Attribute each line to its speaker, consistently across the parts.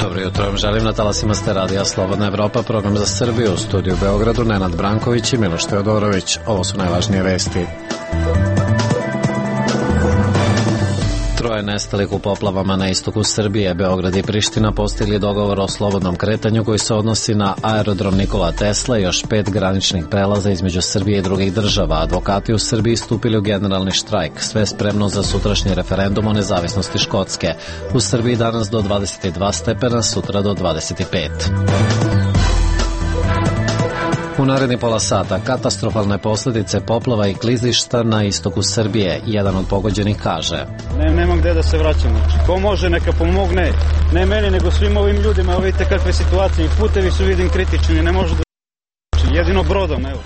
Speaker 1: Dobro jutro vam želim, na talasima ste radija Slobodna Evropa, program za Srbiju, u studiju u Beogradu, Nenad Branković i Miloš Teodorović. Ovo su najvažnije vesti. Troje nestalih u poplavama na istoku Srbije. Beograd i Priština postigli dogovor o slobodnom kretanju koji se odnosi na aerodrom Nikola Tesla i još 5 graničnih prelaza između Srbije i drugih država. Advokati u Srbiji stupili u generalni štrajk. Sve spremno za sutrašnji referendum o nezavisnosti Škotske. U Srbiji danas do 22 stepena, sutra do 25. U naredni pola sata katastrofalne posljedice poplava i klizišta na istoku Srbije. Jedan od pogođenih kaže:
Speaker 2: Nema gde da se vraćam. Ko može neka pomogne, ne meni nego svim ovim ljudima. Evo vidite kakve situacije i putevi su vidim kritični, ne može da jedino brodom, evo.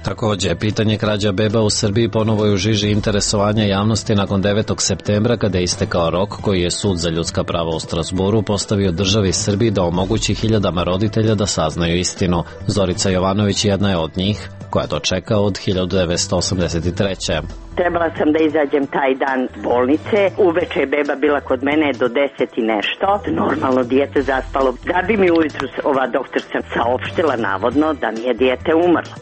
Speaker 1: Također, pitanje krađa beba u Srbiji ponovo je u žiži interesovanja javnosti nakon 9. septembra kada je istekao rok koji je Sud za ljudska prava u Strasburu postavio državi Srbiji da omogući hiljadama roditelja da saznaju istinu. Zorica Jovanović jedna je od njih koja to čeka od 1983.
Speaker 3: Trebala sam da izađem taj dan s bolnice. Uveče je beba bila kod mene do 10 i nešto. Normalno dijete zaspalo. Da bi mi ujutru ova doktorca saopštila navodno da mi je dijete umrlo.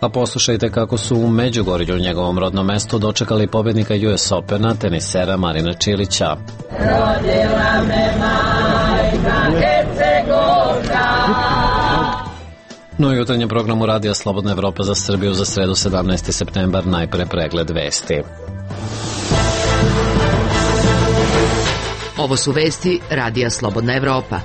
Speaker 1: A poslušajte kako su u Međugorju, njegovom rodnom mestu, dočekali pobjednika US Opena, tenisera Marina Čilića. Rodila me majka Hercegovka. No i jutarnjem programu Radija Slobodna Evropa za Srbiju za sredu 17. septembar, najpre pregled vesti.
Speaker 4: Ovo su vesti Radija Slobodna Evropa.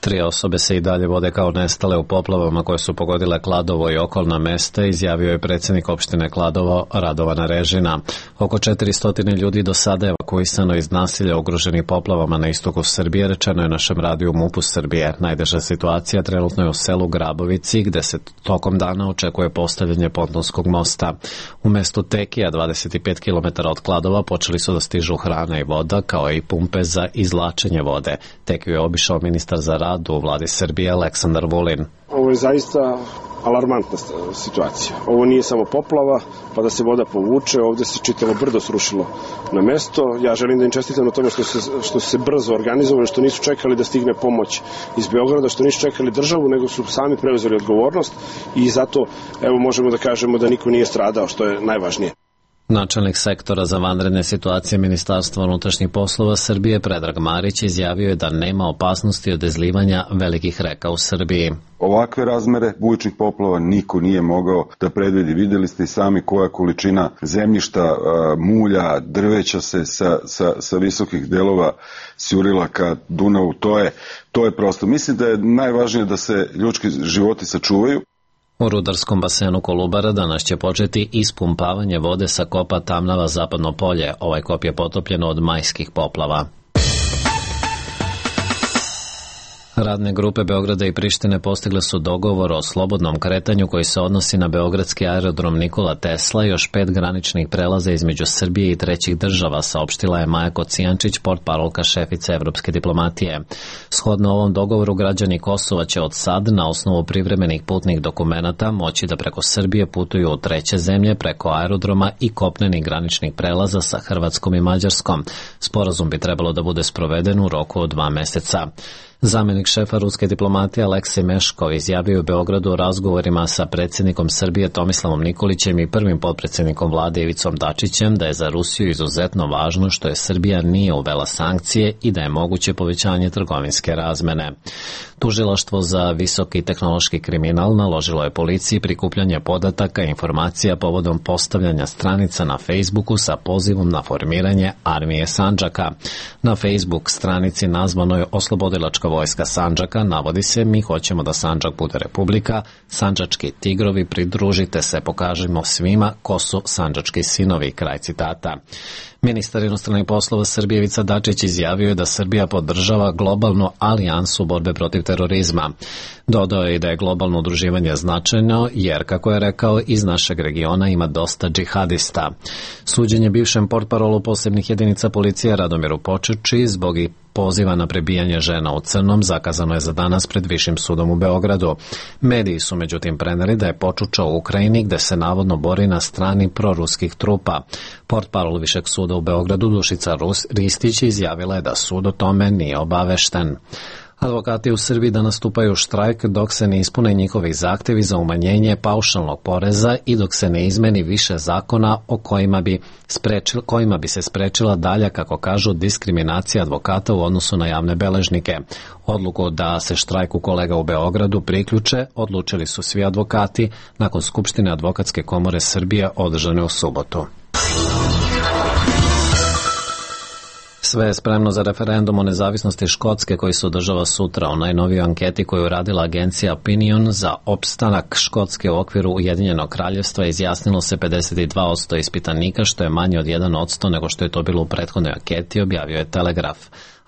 Speaker 1: 3 osobe se i dalje vode kao nestale u poplavama koje su pogodile Kladovo i okolna mesta, izjavio je predsjednik opštine Kladovo Radovan Režina. Oko 400 ljudi do sada je evakuisano iz nasilja ugroženih poplavama na istoku Srbije, rečeno je našem radiju MUP-u Srbije. Najteža situacija trenutno je u selu Grabovici, gde se tokom dana očekuje postavljanje pontonskog mosta. U mestu Tekija, 25 km od Kladova, počeli su da stižu hrana i voda, kao i pumpe za izvlačenje vode. Tekiju je obišao ministar za rad u vladi Srbije Aleksandar Vulin.
Speaker 5: Ovo je zaista alarmantna situacija. Ovo nije samo poplava, pa da se voda povuče, ovdje se čitavo brdo srušilo na mesto. Ja želim da im čestitam na tome što su se brzo organizovali, što nisu čekali da stigne pomoć iz Beograda, što nisu čekali državu, nego su sami preuzeli odgovornost i zato evo možemo da kažemo da niko nije stradao, što je najvažnije.
Speaker 1: Načelnik sektora za vanredne situacije Ministarstva unutrašnjih poslova Srbije Predrag Marić izjavio je da nema opasnosti od izlivanja velikih reka u Srbiji.
Speaker 6: Ovakve razmere bujičnih poplava niko nije mogao da predvidi. Vidjeli ste i sami koja količina zemljišta, mulja, drveća se sa visokih delova sjurila ka Dunavu. To je prosto. Mislim da je najvažnije da se ljudski životi sačuvaju.
Speaker 1: U rudarskom basenu Kolubara danas će početi ispumpavanje vode sa kopa Tamnava Zapadno polje. Ovaj kop je potopljen od majskih poplava. Radne grupe Beograda i Prištine postigle su dogovor o slobodnom kretanju koji se odnosi na beogradski aerodrom Nikola Tesla i još 5 graničnih prelaza između Srbije i trećih država, saopštila je Maja Kocijančić, portparolka šefice evropske diplomatije. Shodno ovom dogovoru, građani Kosova će od sad, na osnovu privremenih putnih dokumenata, moći da preko Srbije putuju u treće zemlje preko aerodroma i kopnenih graničnih prelaza sa Hrvatskom i Mađarskom. Sporazum bi trebalo da bude sproveden u roku od 2 meseca. Zamenik šefa ruske diplomatije Aleksej Meškov izjavio u Beogradu o razgovorima sa predsjednikom Srbije Tomislavom Nikolićem i prvim potpredsjednikom vlade Ivicom Dačićem da je za Rusiju izuzetno važno što je Srbija nije uvela sankcije i da je moguće povećanje trgovinske razmene. Tužilaštvo za visoki tehnološki kriminal naložilo je policiji prikupljanje podataka i informacija povodom postavljanja stranica na Facebooku sa pozivom na formiranje Armije Sandžaka. Na Facebook stranici nazvanoj Oslobodilačka vojska Sandžaka navodi se: mi hoćemo da Sandžak bude republika, sandžački tigrovi, pridružite se, pokažimo svima ko su sandžački sinovi, kraj citata. Ministar inostranih poslova Srbije Ivica Dačić izjavio je da Srbija podržava globalnu alijansu borbe protiv terorizma. Dodao je i da je globalno udruživanje značajno jer, kako je rekao, iz našeg regiona ima dosta džihadista. Suđenje bivšem portparolu posebnih jedinica policije Radomiru Počuči zbog poziva na prebijanje žena u crnom zakazano je za danas pred Višim sudom u Beogradu. Mediji su međutim preneli da je počučao u Ukrajini gde se navodno bori na strani proruskih trupa. Portparol Višeg suda u Beogradu Dušica Ristić izjavila je da sud o tome nije obavešten. Advokati u Srbiji da nastupaju štrajk dok se ne ispune njihovi zahtevi za umanjenje paušalnog poreza i dok se ne izmeni više zakona o kojima bi se sprečila dalja, kako kažu, diskriminacija advokata u odnosu na javne beležnike. Odluku da se štrajku kolega u Beogradu priključe odlučili su svi advokati nakon Skupštine Advokatske komore Srbije održane u subotu. Sve je spremno za referendum o nezavisnosti Škotske koji se održava sutra. U najnovijoj anketi koju radila agencija Opinion za opstanak Škotske u okviru Ujedinjenog kraljevstva izjasnilo se 52% ispitanika, što je manje od 1% nego što je to bilo u prethodnoj anketi, objavio je Telegraf.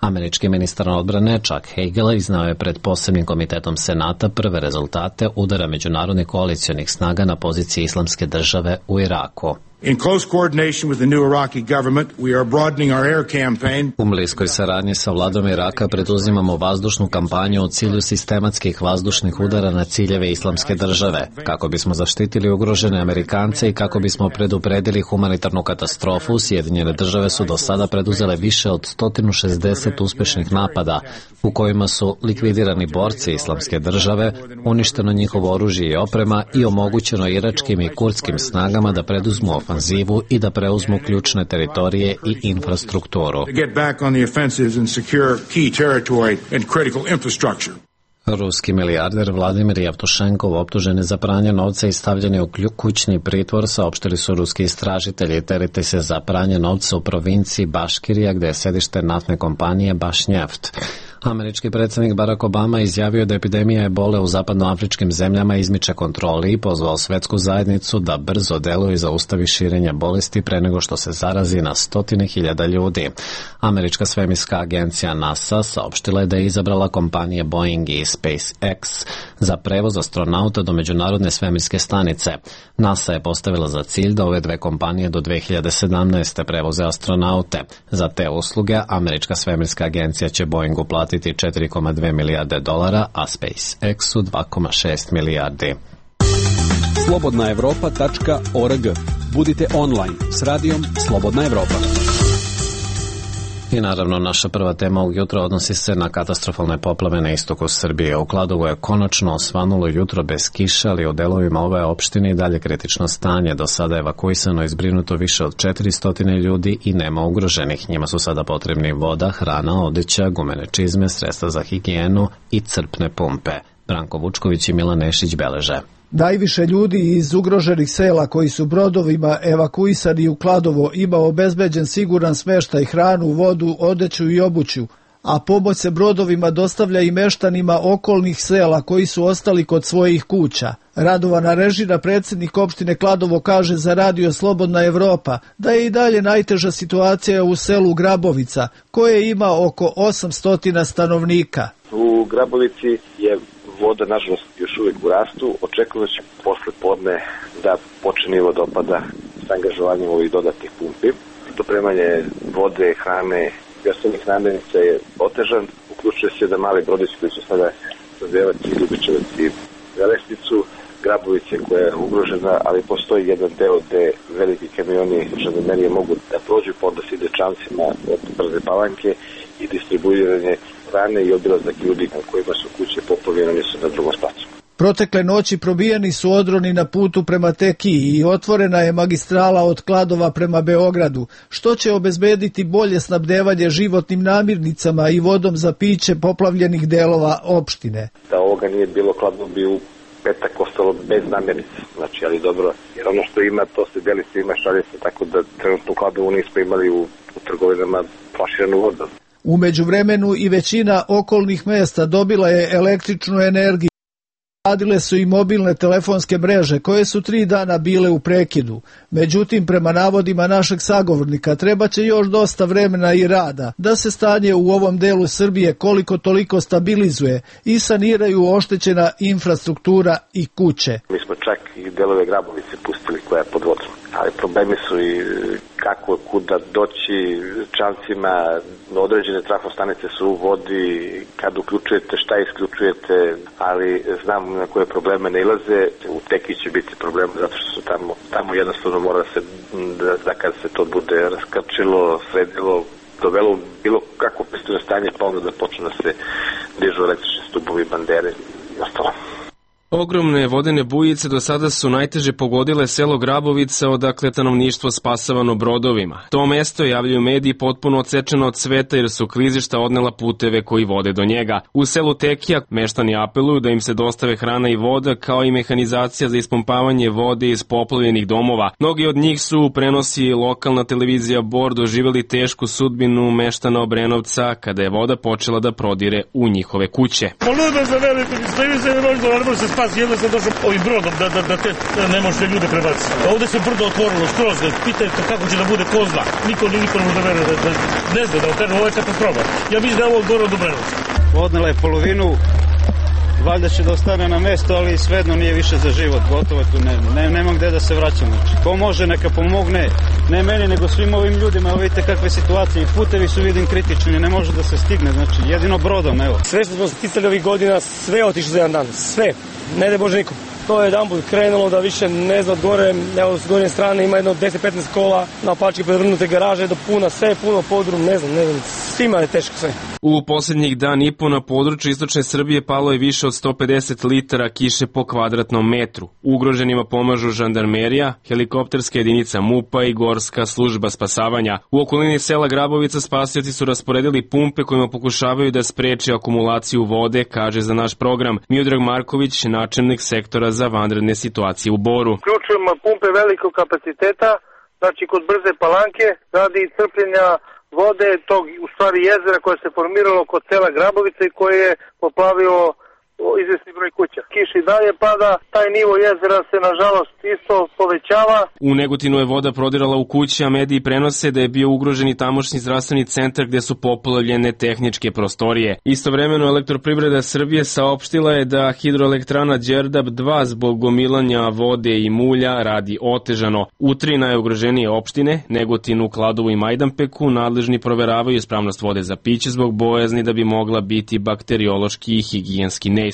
Speaker 1: Američki ministar odbrane Chuck Hagel iznao je pred posebnim komitetom Senata prve rezultate udara međunarodnih koalicionih snaga na poziciji Islamske države u Iraku.
Speaker 7: In close coordination with the new Iraqi government, we are broadening our air campaign.
Speaker 1: U bliskoj saradnji sa vladom Iraka preduzimamo vazdušnu kampanju u cilju sistematskih vazdušnih udara na ciljeve Islamske države, kako bismo zaštitili ugrožene Amerikance i kako bismo predupredili humanitarnu katastrofu. Sjedinjene države su do sada preduzele više od 160 uspešnih napada u kojima su likvidirani borci Islamske države, uništeno njihovo oružje i oprema i omogućeno iračkim i kurdskim snagama da preduzmu ofanzivu i da preuzmu ključne teritorije i infrastrukturu. Ruski milijarder Vladimir Jevtušenkov optužen je za pranje novca i stavljen je u kućni pritvor, saopštili su ruski istražitelji. Terete se za pranje novca u provinciji Baškirija, gde je sedište naftne kompanije Bašnjeft. Američki predsjednik Barack Obama izjavio da epidemija ebole u zapadnoafričkim zemljama izmiče kontroli i pozvao svetsku zajednicu da brzo deluje i zaustavi širenje bolesti pre nego što se zarazi na 100.000 ljudi. Američka svemirska agencija NASA saopštila je da je izabrala kompanije Boeing i SpaceX za prevoz astronauta do međunarodne svemirske stanice. NASA je postavila za cilj da ove dve kompanije do 2017. prevoze astronaute. Za te usluge američka svemirska agencija će Boeingu platiti $4,2 milijarde, a SpaceX-u 2,6 milijardi.
Speaker 8: slobodnaevropa.org. Budite online s radijom Slobodna Evropa.
Speaker 1: I naravno, naša prva tema ovog jutra odnosi se na katastrofalne poplave na istoku Srbije. U Kladovu je konačno osvanulo jutro bez kiše, ali u delovima ove opštine i dalje kritično stanje. Do sada je evakuisano i zbrinuto više od 400 ljudi i nema ugroženih. Njima su sada potrebni voda, hrana, odeća, gumene čizme, sredstva za higijenu i crpne pumpe. Branko Vučković i Milan Nešić beleže.
Speaker 9: Najviše ljudi iz ugroženih sela koji su brodovima evakuisani u Kladovo ima obezbeđen siguran smeštaj, hranu, vodu, odeću i obuću, a pomoć se brodovima dostavlja i meštanima okolnih sela koji su ostali kod svojih kuća. Radovana Režina, predsjednik opštine Kladovo, kaže za radio Slobodna Evropa da je i dalje najteža situacija u selu Grabovica, koje ima oko 800 stanovnika.
Speaker 10: U Grabovici je voda, nažalost, još uvijek u rastu. Očekujemo da će posle podne da počne nivo dopada s angažovanjem ovih dodatnih pumpi. Dopremanje vode, hrane i osnovnih namirnica je otežan. Uključuje se da mali brodići koji su sada Radevac i Ljubičevac i Velesnicu, Grabovice koja je ugrožena, ali postoji jedan deo gde veliki kamioni žandarmerije mogu da prođu, pa onda se ide čamcima od Brze Palanke i distribuiranje hrane i obilazak ljudi kojima su kuće poplavljene su na drugom spacu.
Speaker 9: Protekle noći probijeni su odroni na putu prema Tekiji i otvorena je magistrala od Kladova prema Beogradu, što će obezbediti bolje snabdevanje životnim namirnicama i vodom za piće poplavljenih delova opštine.
Speaker 10: Da ovoga nije bilo, Kladovo bi u petak ostalo bez namirnica, znači, ali dobro, jer ono što ima, to se deli svima, šalje se, tako da trenutno u Kladovu nismo imali u trgovinama flaširanu vodu.
Speaker 9: U međuvremenu i većina okolnih mesta dobila je električnu energiju. Radile su i mobilne telefonske mreže koje su 3 dana bile u prekidu. Međutim, prema navodima našeg sagovornika, treba će još dosta vremena i rada da se stanje u ovom delu Srbije koliko toliko stabilizuje i saniraju oštećena infrastruktura i kuće.
Speaker 10: Mi smo čak i delove Grabovice pustili koja je pod vodom. ali problemi su i kako, kuda doći čamcima, određene trafostanice su u vodi, kad uključujete, šta isključujete, ali znam na koje probleme ne ilaze. U Teki će biti problem zato što su tamo jednostavno mora se, da kad se to bude raskrčilo, sredilo, dovelo bilo kako pristojno stanje, pa onda da počne da se dižu električni stubovi, bandere i ostalo.
Speaker 11: Ogromne vodene bujice do sada su najteže pogodile selo Grabovica, odakle stanovništvo spasavano brodovima. To mesto, javljaju mediji, potpuno odsečeno od sveta jer su klizišta odnela puteve koji vode do njega. U selu Tekija meštani apeluju da im se dostave hrana i voda, kao i mehanizacija za ispumpavanje vode iz poplavljenih domova. Mnogi od njih su, prenosi lokalna televizija Bor, doživjeli tešku sudbinu meštana Obrenovca kada je voda počela da prodire u njihove kuće.
Speaker 12: Jedno sam došao ovim brodom da te ne možete ljude prebaciti. Ovde se brdo otvorilo skroz, pitajte kako će da bude ko zna. Niko ne može da veruje, ne zna da otvorilo, ovo je katastrofa. Ja mislim da je ovo od Bora do Obrenovca.
Speaker 2: Odnela je polovinu, valjda će da ostane na mesto, ali svejedno nije više za život, gotovo tu nema gde da se vraćam. Znači, ko može neka pomogne, ne meni nego svim ovim ljudima, evo vidite kakve situacije, i putevi su vidim kritični, ne može da se stigne, znači jedino brodom, evo.
Speaker 13: Sve što smo sticali ovih godina, sve otišlo za jedan dan, sve, ne da Bože nikom. To je jedan put krenulo da više ne zna od gore, evo s gornje strane ima jedno 10-15 kola, naopačke prevrnute garaže do puna, sve je puno podrum, ne znam, svima je teško sve.
Speaker 11: U posljednjih dan i po na području istočne Srbije palo je više od 150 litara kiše po kvadratnom metru. Ugroženima pomažu žandarmerija, helikopterska jedinica MUP-a i gorska služba spasavanja. U okolini sela Grabovica spasioci su rasporedili pumpe kojima pokušavaju da spreče akumulaciju vode, kaže za naš program Miodrag Marković, načelnik sektora za vanredne situacije u Boru.
Speaker 14: Uključujemo pumpe velikog kapaciteta, znači kod Brze Palanke, radi crpljenja vode tog u stvari jezera koje se formiralo kod sela Grabovica i koje je poplavio izvesni broj kuća. Kiš i dalje pada, taj nivo jezera se nažalost isto povećava.
Speaker 11: U Negotinu je voda prodirala u kući, a mediji prenose da je bio ugrožen i tamošnji zdravstveni centar gde su poplavljene tehničke prostorije. Istovremeno Elektroprivreda Srbije saopštila je da hidroelektrana Đerdap 2 zbog gomilanja vode i mulja radi otežano. U 3 najugroženije opštine, Negotinu, Kladovu i Majdanpeku, nadležni proveravaju ispravnost vode za piće zbog bojazni da bi mogla biti bakteriološki i higijenski neispravna.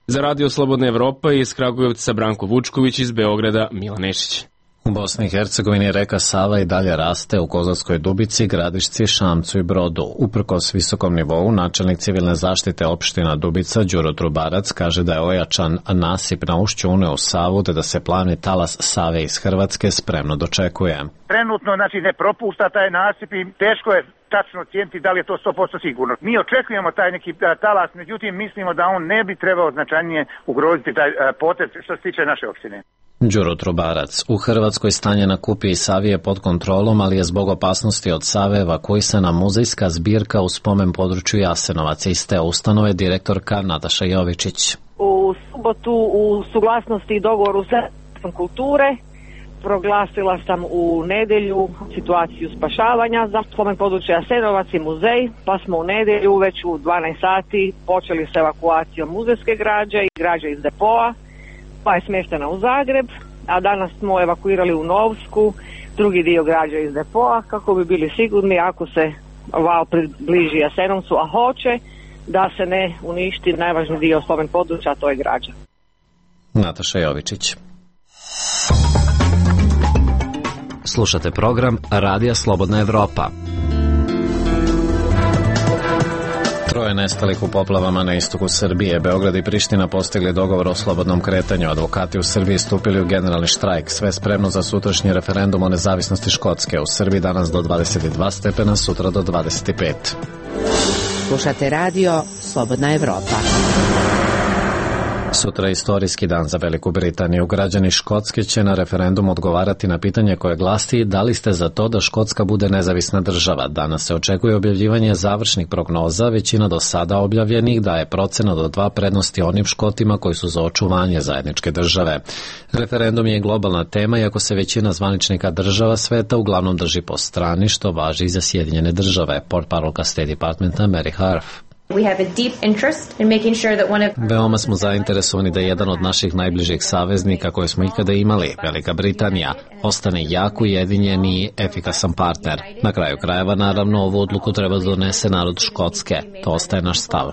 Speaker 11: Za Radio Slobodna Evropa iz Kragujevca Branko Vučković, iz Beograda Milan Nešić.
Speaker 1: U Bosni i Hercegovini reka Sava i dalje raste u Kozarskoj Dubici, Gradišci, Šamcu i Brodu. Uprkos visokom nivou, načelnik civilne zaštite opština Dubica Đuro Trubarac kaže da je ojačan nasip na ušću Une u Savu te da se plavni talas Save iz Hrvatske spremno dočekuje.
Speaker 15: Trenutno ne propušta taj nasip i teško je tačno ocijeniti da li je to 100% sigurno. Mi očekujemo taj neki talas, međutim mislimo da on ne bi trebao značajnije ugroziti taj potez što se tiče naše opštine.
Speaker 1: Đuro Trubarac. U Hrvatskoj stanje na Kupi i Savi je pod kontrolom, ali je zbog opasnosti od Save evakuisana muzejska zbirka u spomen području Jasenovac. Iz te ustanove direktorka Nataša Jovičić.
Speaker 16: U subotu u suglasnosti i dogovoru sa kulture proglasila sam u nedelju situaciju spašavanja za spomen područja Jasenovac i muzej, pa smo u nedelju već u 12 sati počeli sa evakuacijom muzejske građe i građe iz depoa, pa je smještena u Zagreb, a danas smo evakuirali u Novsku drugi dio građe iz depoa kako bi bili sigurni ako se val približi Jasenovcu, a hoće, da se ne uništi najvažniji dio spomen područja, a to je građa.
Speaker 1: Nataša Jovičić. Slušate program Radija Slobodna Evropa. Troje nestalih u poplavama na istoku Srbije. Beograd i Priština postigli dogovor o slobodnom kretanju. Advokati u Srbiji stupili u generalni štrajk. Sve spremno za sutrašnji referendum o nezavisnosti Škotske. U Srbiji danas do 22 stepena, sutra do 25.
Speaker 4: Slušate radio Slobodna Evropa.
Speaker 1: Sutra je istorijski dan za Veliku Britaniju. Građani Škotske će na referendum odgovarati na pitanje koje glasi da li ste za to da Škotska bude nezavisna država. Danas se očekuje objavljivanje završnih prognoza. Većina do sada objavljenih daje procenat od 2 prednosti onim Škotima koji su za očuvanje zajedničke države. Referendum je globalna tema, iako se većina zvaničnika država sveta uglavnom drži po strani, što važi i za Sjedinjene države. Portparolka State Departmenta Mary Harf. Veoma smo zainteresovani da jedan od naših najbližih saveznika koje smo ikada imali, Velika Britanija, ostane jak, ujedinjen i efikasan partner. Na kraju krajeva, naravno, ovu odluku treba da donese narod Škotske. To ostaje naš stav.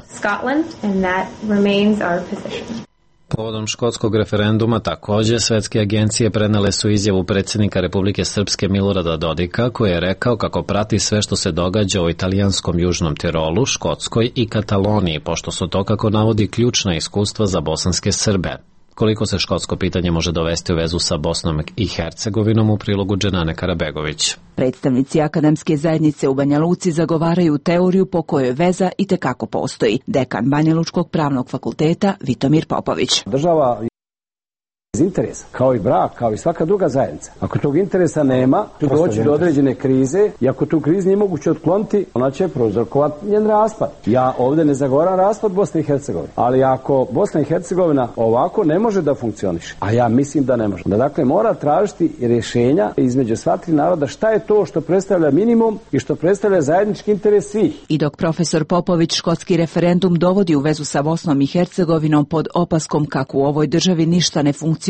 Speaker 1: Povodom škotskog referenduma takođe svetske agencije prenele su izjavu predsjednika Republike Srpske Milorada Dodika, koji je rekao kako prati sve što se događa u italijanskom Južnom Tirolu, Škotskoj i Kataloniji, pošto su to, kako navodi, ključna iskustva za bosanske Srbe. Koliko se škotsko pitanje može dovesti u vezu sa Bosnom i Hercegovinom, u prilogu Dženane Karabegović.
Speaker 17: Predstavnici akademske zajednice u Banja Luci zagovaraju teoriju po kojoj veza i tekako postoji. Dekan Banjalučkog pravnog fakulteta Vitomir Popović.
Speaker 18: Država iz interesa, kao i brak, kao i svaka druga zajednica. Ako tog interesa nema, tu doći do određene krize i ako tu krizu nije moguće otkloniti, ona će prouzrokovati njen raspad. Ja ovdje ne zagovaram raspad Bosne i Hercegovine, ali ako Bosna i Hercegovina ovako ne može da funkcioniše, a ja mislim da ne može, da dakle mora tražiti rješenja između sva tri naroda šta je to što predstavlja minimum i što predstavlja zajednički interes svih.
Speaker 17: I dok profesor Popović škotski referendum dovodi u vezu sa Bosnom i Hercegovinom pod opaskom kako u ovoj državi ništa ne funkcioniše,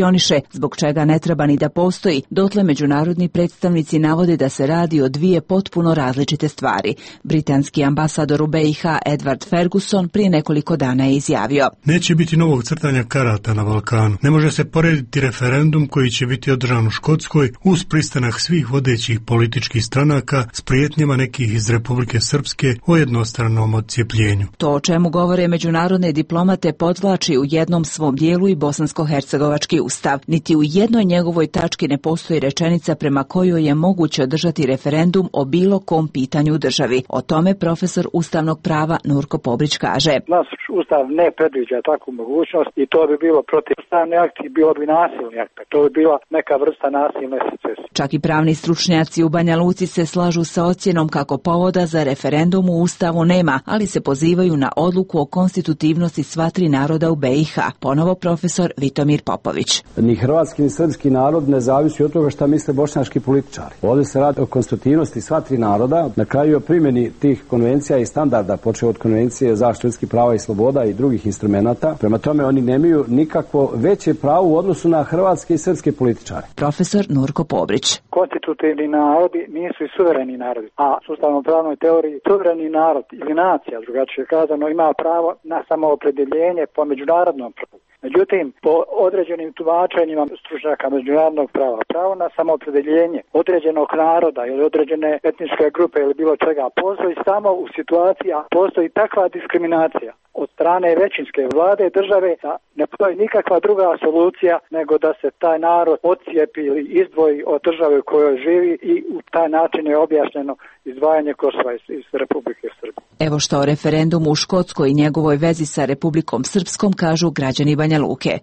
Speaker 17: zbog čega ne treba ni da postoji, dotle međunarodni predstavnici navode da se radi o dvije potpuno različite stvari. Britanski ambasador u BiH Edward Ferguson prije nekoliko dana je izjavio:
Speaker 19: Neće biti novog crtanja karata na Balkanu. Ne može se porediti referendum koji će biti održan u Škotskoj uz pristanak svih vodećih političkih stranaka s prijetnjama nekih iz Republike Srpske o jednostranom odcijepljenju.
Speaker 17: To o čemu govore međunarodne diplomate podvlači u jednom svom dijelu i bosansko-hercegovački ustav. Niti u jednoj njegovoj tački ne postoji rečenica prema kojoj je moguće održati referendum o bilo kom pitanju u državi. O tome profesor ustavnog prava Nurko Pobrić kaže:
Speaker 20: Naš ustav ne predviđa takvu mogućnost i to bi bilo protivustavni akt i bilo bi nasilni akt. To bi bila neka vrsta nasilne secesije.
Speaker 17: Čak i pravni stručnjaci u Banja Luci se slažu sa ocjenom kako povoda za referendum u ustavu nema, ali se pozivaju na odluku o konstitutivnosti sva tri naroda u BiH. Ponovo profesor Vitomir Popović.
Speaker 18: Ni hrvatski ni srpski narod ne zavisi od toga šta misle bošnjački političari. Ovdje se radi o konstitutivnosti sva tri naroda, na kraju o primjeni tih konvencija i standarda, počeo od konvencije zaštite ljudskih prava i sloboda i drugih instrumenata. Prema tome oni nemaju nikakvo veće pravo u odnosu na hrvatske i srpske političare.
Speaker 17: Profesor Nurko Pobrić.
Speaker 20: Konstitutivni narodi nisu i suvereni narodi, a u ustavno-pravnoj teoriji suvereni narod ili nacija, drugačije kazano, ima pravo na samoopredjeljenje po međunarodnom pravu. Međutim, po određenim tumačenjima stručnjaka međunarodnog prava, pravo na samoopredeljenje određenog naroda ili određene etničke grupe ili bilo čega postoji samo u situaciji, a postoji takva diskriminacija od strane većinske vlade države da ne postoji nikakva druga solucija nego da se taj narod odcijepi ili izdvoji od države u kojoj živi i u taj način je objašnjeno izdvajanje Kosova iz Republike Srbije.
Speaker 17: Evo što o referendumu u Škotskoj i njegovoj vezi sa Republikom Srpskom kažu građani Banja Luke.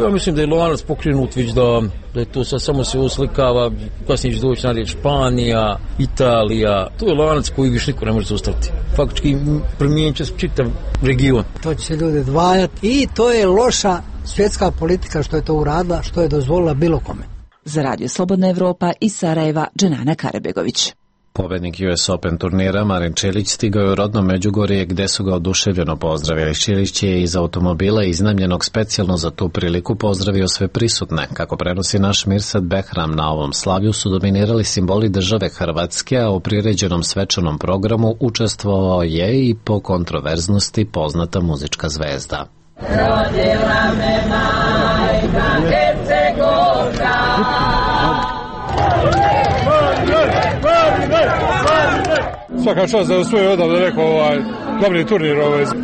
Speaker 21: Ja mislim da je lanac pokrenut već da je to sad samo se uslikava, kasnije će doći na riječ Španija, Italija. To je lanac koji više niko ne može zaustaviti. Faktički promijenit će se čitav region.
Speaker 22: To će se ljudi dvajati i to je loša svjetska politika što je to uradila, što je dozvolila bilo kome.
Speaker 17: Za Radio Slobodna Evropa iz Sarajeva, Dženana Karabegović.
Speaker 1: Pobednik US Open turnira Marin Čilić stigao je u rodno Međugorje gde su ga oduševljeno pozdravili. Čilić je iz automobila iznajmljenog specijalno za tu priliku pozdravio sve prisutne. Kako prenosi naš Mirsad Behram, na ovom slavlju su dominirali simboli države Hrvatske, a u priređenom svečanom programu učestvovao je i po kontroverznosti poznata muzička zvezda. Rodila me majka Hercegovka.
Speaker 23: Svaka čast da usvoji odavde rekao glavni turnir,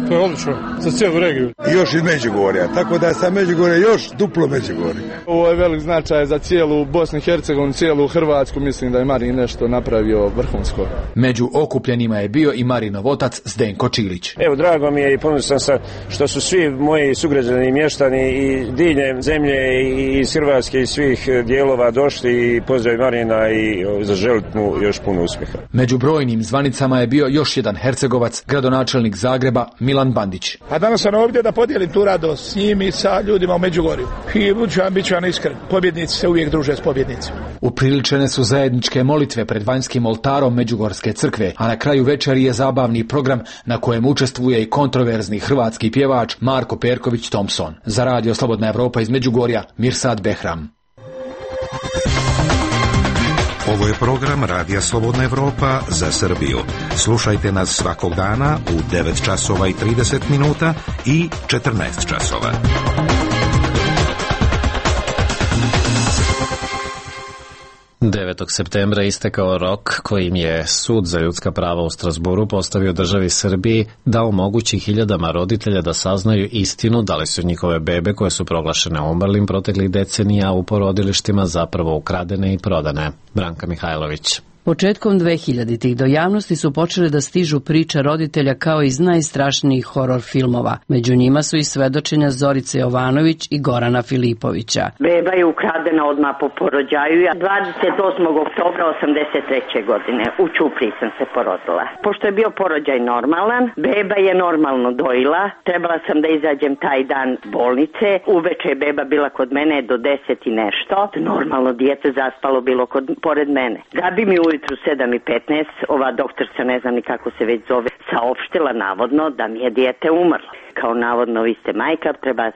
Speaker 23: to je odlično za cijelu regiju.
Speaker 24: I još iz Međugorja, tako da je sa Međugorja još duplo Međugorje.
Speaker 23: Ovo je velik značaj za cijelu Bosnu i Hercegovinu, cijelu Hrvatsku, mislim da je Marin nešto napravio vrhunsko.
Speaker 25: Među okupljenima je bio i Marinov otac Zdenko Čilić.
Speaker 26: Evo, drago mi je i ponosan sam što su svi moji sugrađani i mještani i diljem zemlje i iz Hrvatske i svih dijelova došli i pozdrav Marina i zaželiti mu još puno uspjeha.
Speaker 25: Među brojnim zvaničnim Zelenicama je bio još jedan Hercegovac, gradonačelnik Zagreba Milan Bandić.
Speaker 23: A danas sam ovdje da podijelim tu radost s njim i sa ljudima u Međugorju. I bit ću vam iskren, pobjednici se uvijek druže s pobjednicima.
Speaker 25: Upriličene su zajedničke molitve pred vanjskim oltarom Međugorske crkve, a na kraju večeri je zabavni program na kojem učestvuje i kontroverzni hrvatski pjevač Marko Perković Thompson. Za radio Slobodna Evropa iz Međugorja, Mirsad Behram.
Speaker 3: Ovo je program Radija Slobodna Evropa za Srbiju. Slušajte nas svakog dana u 9 časova i 30 minuta i 14 časova.
Speaker 1: Devetog septembra istekao rok kojim je Sud za ljudska prava u Strasburu postavio državi Srbiji da omogući hiljadama roditelja da saznaju istinu da li su njihove bebe koje su proglašene umrlim proteklih decenija u porodilištima zapravo ukradene i prodane. Branka Mihajlović.
Speaker 5: Početkom 2000-ih do javnosti su počele da stižu priče roditelja kao iz najstrašnijih horor filmova. Među njima su i svedočenja Zorice Jovanović i Gorana Filipovića.
Speaker 6: Beba je ukradena odmah po porođaju. 28. oktobra 83. godine u Ćupriji sam se porodila. Pošto je bio porođaj normalan, beba je normalno dojila. Trebala sam da izađem taj dan bolnice. Uveče je beba bila kod mene do 10 i nešto. Normalno dijete zaspalo bilo pored mene. Da bi mi ujutru 7:15, ova doktorca, ne znam ni kako se već zove, saopštila navodno da mi je dijete umrlo. Kao navodno vi ste majka,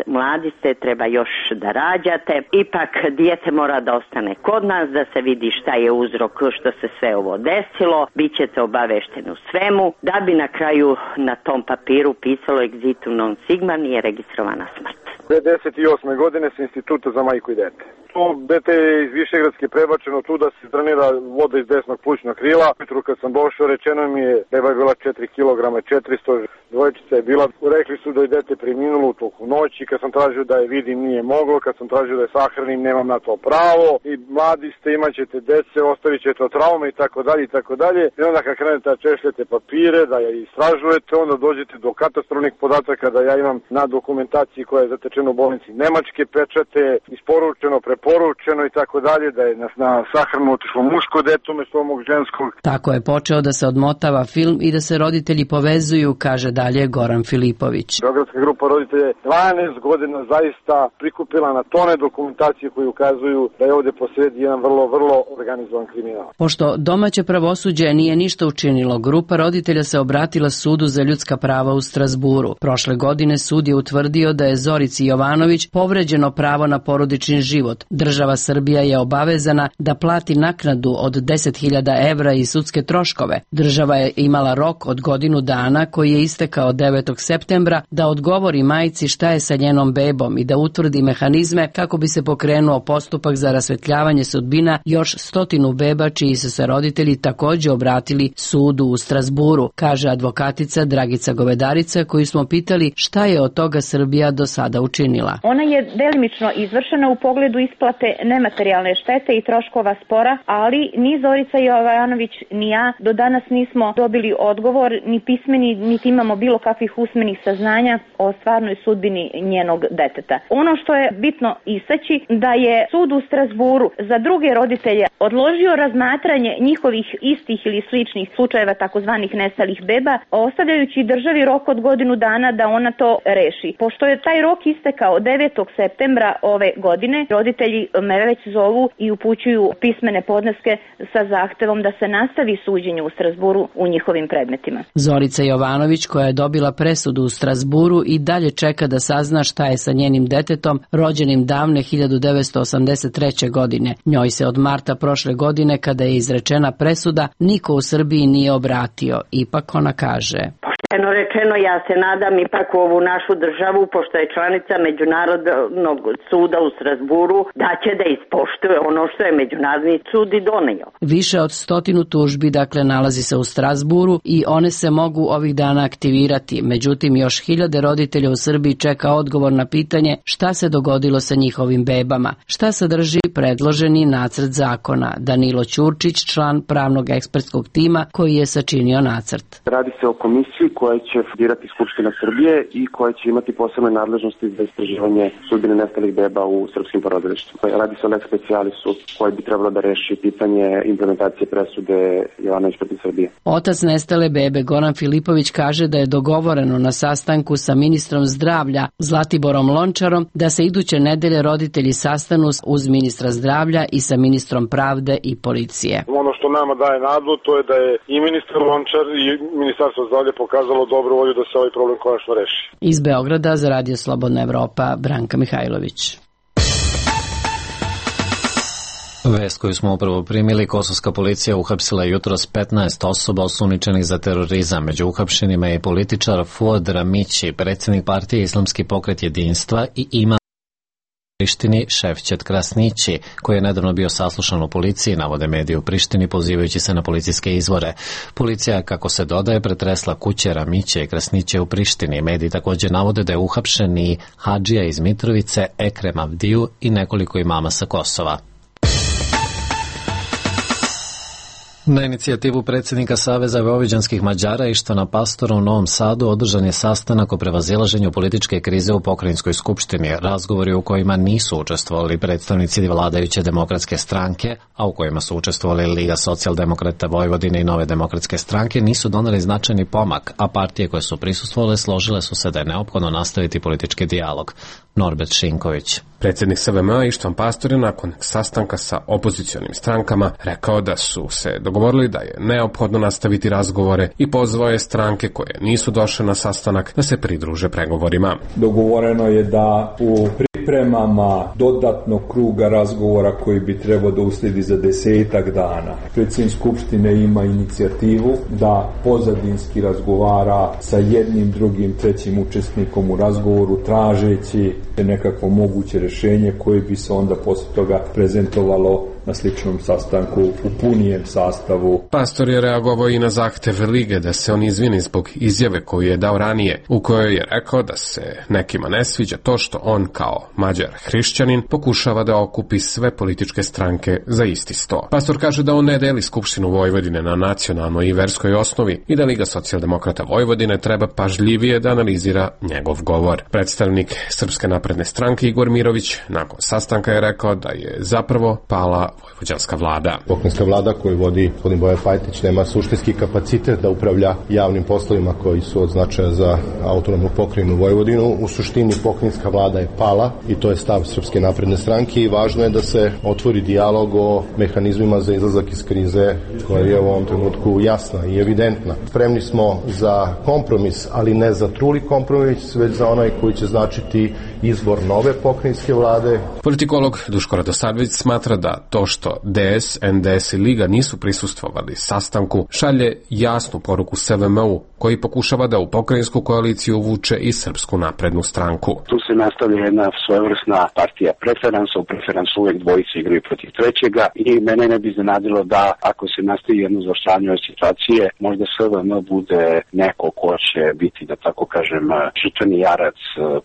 Speaker 6: mladi ste, treba još da rađate. Ipak dijete mora da ostane kod nas, da se vidi šta je uzrok što se sve ovo desilo. Bićete obavešteni u svemu, da bi na kraju na tom papiru pisalo exitum non sigma, nije registrovana smrt.
Speaker 7: 98. godine sa Instituta za majku i dete. To dete je iz Višegradske prebačeno tu da se drenira voda iz desnog plućnog krila. Jutro kad sam došao rečeno mi je beba je bila 4 kg 400, dvojčica je bila. Rekli su da je dete preminulo u toku noći. Kad sam tražio da je vidim nije moglo, kad sam tražio da je sahranim nemam na to pravo. I mladi ste, imat ćete dece, ostavit ćete od traume i tako dalje i tako dalje. I onda kad krenete da češljete papire, da je istražujete, onda dođete do katastrofnih podataka da ja imam na dokumentaciji koja je zatečena u bolnici nemačke pečate, isporučeno, preporučeno i tako dalje, da je na sahranu otišlo muško dete umjesto ovog ženskog.
Speaker 5: Tako je počeo da se odmotava film i da se roditelji povezuju, kaže dalje Goran Filipović.
Speaker 7: Beogradska grupa roditelja 12 godina zaista prikupila na tone dokumentacije koji ukazuju da je ovdje posredi jedan vrlo organizovan kriminal.
Speaker 5: Pošto domaće pravosuđe nije ništa učinilo, grupa roditelja se obratila Sudu za ljudska prava u Strasburu. Prošle godine sud je utvrdio da je Zorici Jovanović povređeno pravo na porodični život. Država Srbija je obavezana da plati naknadu od 10.000 evra i sudske troškove. Država je imala rok od godinu dana koji je istekao 9. septembra da odgovori majci šta je sa njenom bebom i da utvrdi mehanizme kako bi se pokrenuo postupak za rasvetljavanje sudbina još 100 beba čiji su se roditelji također obratili sudu u Strasburu, kaže advokatica Dragica Govedarica koju smo pitali šta je od toga Srbija do sada učinila.
Speaker 8: Ona je delimično izvršena u pogledu isplate nematerijalne štete i troškova spora, ali ni Zorica Jovanović ni ja do danas nismo dobili odgovor, ni pismeni, niti imamo bilo kakvih usmenih saznanja o stvarnoj sudbini njenog deteta. Ono što je bitno istaći da je sud u Strasburu za druge roditelje odložio razmatranje njihovih istih ili sličnih slučajeva takozvanih nestalih beba, ostavljajući državi rok od godinu dana da ona to reši. Pošto je taj rok istekao 9. septembra ove godine, roditelji me već zovu i upućuju pismene podneske sa zahtevom da se nastavi suđenje u Strasburu u njihovim predmetima.
Speaker 5: Zorica Jovanović, koja je dobila presudu u Strasburu, i dalje čeka da sazna šta je sa njenim detetom rođenim davne 1983. godine. Njoj se od marta prošle godine, kada je izrečena presuda, niko u Srbiji nije obratio. Ipak ona kaže:
Speaker 6: Pošteno rečeno, ja se nadam ipak u ovu našu državu, pošto je članica Međunarodnog suda u Strasburu, da će da ispoštuje ono što je Međunarodni sud i donio.
Speaker 5: Više od 100 tužbi, dakle, nalazi se u Strasburu i one se mogu ovih dana aktivirati. Međutim, još hiljade roditelja u Srbiji čeka odgovor na pitanje šta se dogodilo sa njihovim bebama. Šta sadrži predloženi nacrt zakona? Danilo Ćurčić, član pravnog ekspertskog tima koji je sačinio nacrt.
Speaker 9: Radi se o komisiji
Speaker 2: koje će birati Skupština Srbije i koje će imati posebne nadležnosti za istraživanje sudbine nestalih beba u srpskim porodilištima. Radi se o lex specialisu koji bi trebalo da reši pitanje implementacije presude Jovanović protiv Srbije.
Speaker 5: Otac nestale bebe Goran Filipović kaže da je dogovoreno na sastanku sa ministrom zdravlja Zlatiborom Lončarom da se iduće nedelje roditelji sastanu uz ministra zdravlja i sa ministrom pravde i policije.
Speaker 7: Ono što nama daje nadu to je da je i ministar Lončar i ministarstvo zdravlja pokazalo dobru volju da se ovaj problem konačno reši.
Speaker 5: Iz Beograda za Radio Slobodna Evropa, Branka Mihajlović.
Speaker 1: Vest koju smo upravo primili, kosovska policija uhapsila jutros 15 osoba osumnjičenih za terorizam. Među uhapšenima je i političar Fuad Ramići, predsjednik partije Islamski pokret jedinstva i imam Prištini Šefčet Krasnići, koji je nedavno bio saslušan u policiji, navode mediji u Prištini pozivajući se na policijske izvore. Policija, kako se dodaje, pretresla kuće Ramiće i Krasniće u Prištini. Mediji također navode da je uhapšen i hadžija iz Mitrovice, Ekrem Avdiju i nekoliko imama sa Kosova. Na inicijativu predsjednika Saveza vojvođanskih Mađara Ištvana Pastora u Novom Sadu održan je sastanak o prevazilaženju političke krize u pokrajinskoj skupštini, razgovori u kojima nisu učestvovali predstavnici vladajuće demokratske stranke, a u kojima su učestvovali Liga socijaldemokrata Vojvodine i Nove demokratske stranke, nisu doneli značajni pomak, a partije koje su prisustvovale složile su se da je neophodno nastaviti politički dijalog. Norbert Šinković.
Speaker 9: Predsjednik SVM-a Ištvan Pastor je nakon sastanka sa opozicionim strankama rekao da su se dogovorili da je neophodno nastaviti razgovore i pozvao je stranke koje nisu došle na sastanak da se pridruže pregovorima.
Speaker 10: Dogovoreno je da u pripremama dodatnog kruga razgovora koji bi trebao da uslijedi za 10 dana. Predsjednik Skupštine ima inicijativu da pozadinski razgovara sa jednim, drugim, trećim učesnikom u razgovoru tražeći nekakvo moguće rješenje koje bi se onda poslije toga prezentovalo na sličnom sastanku u punijem sastavu.
Speaker 9: Pastor je reagovao i na zahtev Lige da se on izvini zbog izjave koju je dao ranije, u kojoj je rekao da se nekima ne sviđa to što on kao Mađar hrišćanin pokušava da okupi sve političke stranke za isti sto. Pastor kaže da on ne deli Skupštinu Vojvodine na nacionalnoj i verskoj osnovi i da Liga socijaldemokrata Vojvodine treba pažljivije da analizira njegov govor. Predstavnik Srpske napredne stranke Igor Mirović nakon sastanka je rekao da je zapravo pala vojvođanska vlada.
Speaker 12: Pokrajinska vlada koju vodi gospodin Bojan Pajtić nema suštinski kapacitet da upravlja javnim poslovima koji su od značaja za autonomnu pokrajinu Vojvodinu. U suštini pokrajinska vlada je pala i to je stav Srpske napredne stranke i važno je da se otvori dijalog o mehanizmima za izlazak iz krize koja je u ovom trenutku jasna i evidentna. Spremni smo za kompromis, ali ne za truli kompromis, već za onaj koji će značiti izbor nove pokrajinske vlade.
Speaker 9: Politikolog Duško Radosavljević smatra da to što DS, NDS i Liga nisu prisustvovali sastanku šalje jasnu poruku SVM-u koji pokušava da u pokrajinsku koaliciju uvuče i Srpsku naprednu stranku.
Speaker 13: Tu se nastavlja jedna svojevrsna partija preferansa, u preferansu uvijek dvojice igraju protiv trećega i mene ne bi iznenadilo da ako se nastavi jedno zaoštravanje ove situacije, možda SVM bude neko ko će biti, da tako kažem, žrtveni jarac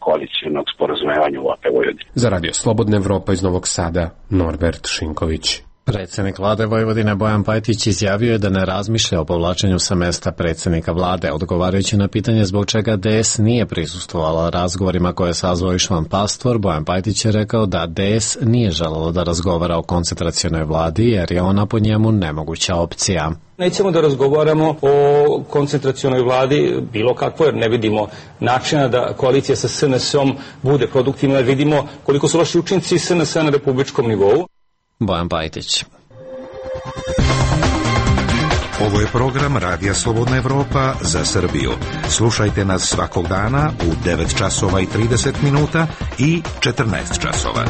Speaker 13: koalicijnog sporazumevanja u AP Vojvodine.
Speaker 9: Za Radio Slobodna Evropa iz Novog Sada, Norbert Šinković.
Speaker 1: Predsjednik vlade Vojvodine Bojan Pajtić izjavio je da ne razmišlja o povlačenju sa mesta predsjednika vlade, odgovarajući na pitanje zbog čega DS nije prisustvovala razgovorima koje je sazvao Ištvan Pastor. Bojan Pajtić je rekao da DS nije želelo da razgovara o koncentracionoj vladi jer je ona po njemu nemoguća opcija.
Speaker 14: Nećemo da razgovaramo o koncentracionoj vladi bilo kakvo, jer ne vidimo načina da koalicija sa SNS-om bude produktivna, jer vidimo koliko su loši učinci SNS-a na republičkom nivou.
Speaker 1: Bojan Pajtić.
Speaker 3: Ovo je program Radija Slobodna Evropa za Srbiju. Slušajte nas svakog dana u 9 časova i 30 minuta i 14 časova.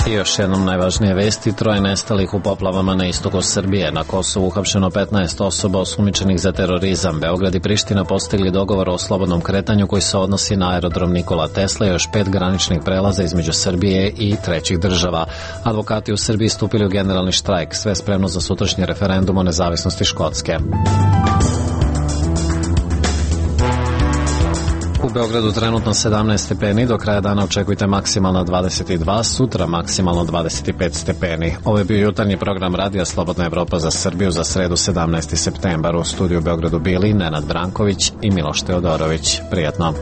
Speaker 1: I još jednom najvažnije vesti, 3 nestalih u poplavama na istoku Srbije. Na Kosovu uhapšeno 15 osoba osumnjičenih za terorizam. Beograd i Priština postigli dogovor o slobodnom kretanju koji se odnosi na aerodrom Nikola Tesla i još 5 graničnih prelaza između Srbije i trećih država. Advokati u Srbiji stupili u generalni štrajk, sve spremno za sutrašnji referendum o nezavisnosti Škotske. U U Beogradu trenutno 17 stepeni, do kraja dana očekujte maksimalno 22, sutra maksimalno 25 stepeni. Ovo je bio jutarnji program Radija Slobodna Evropa za Srbiju za sredu 17. septembar. U studiju u Beogradu bili Nenad Branković i Miloš Teodorović. Prijatno.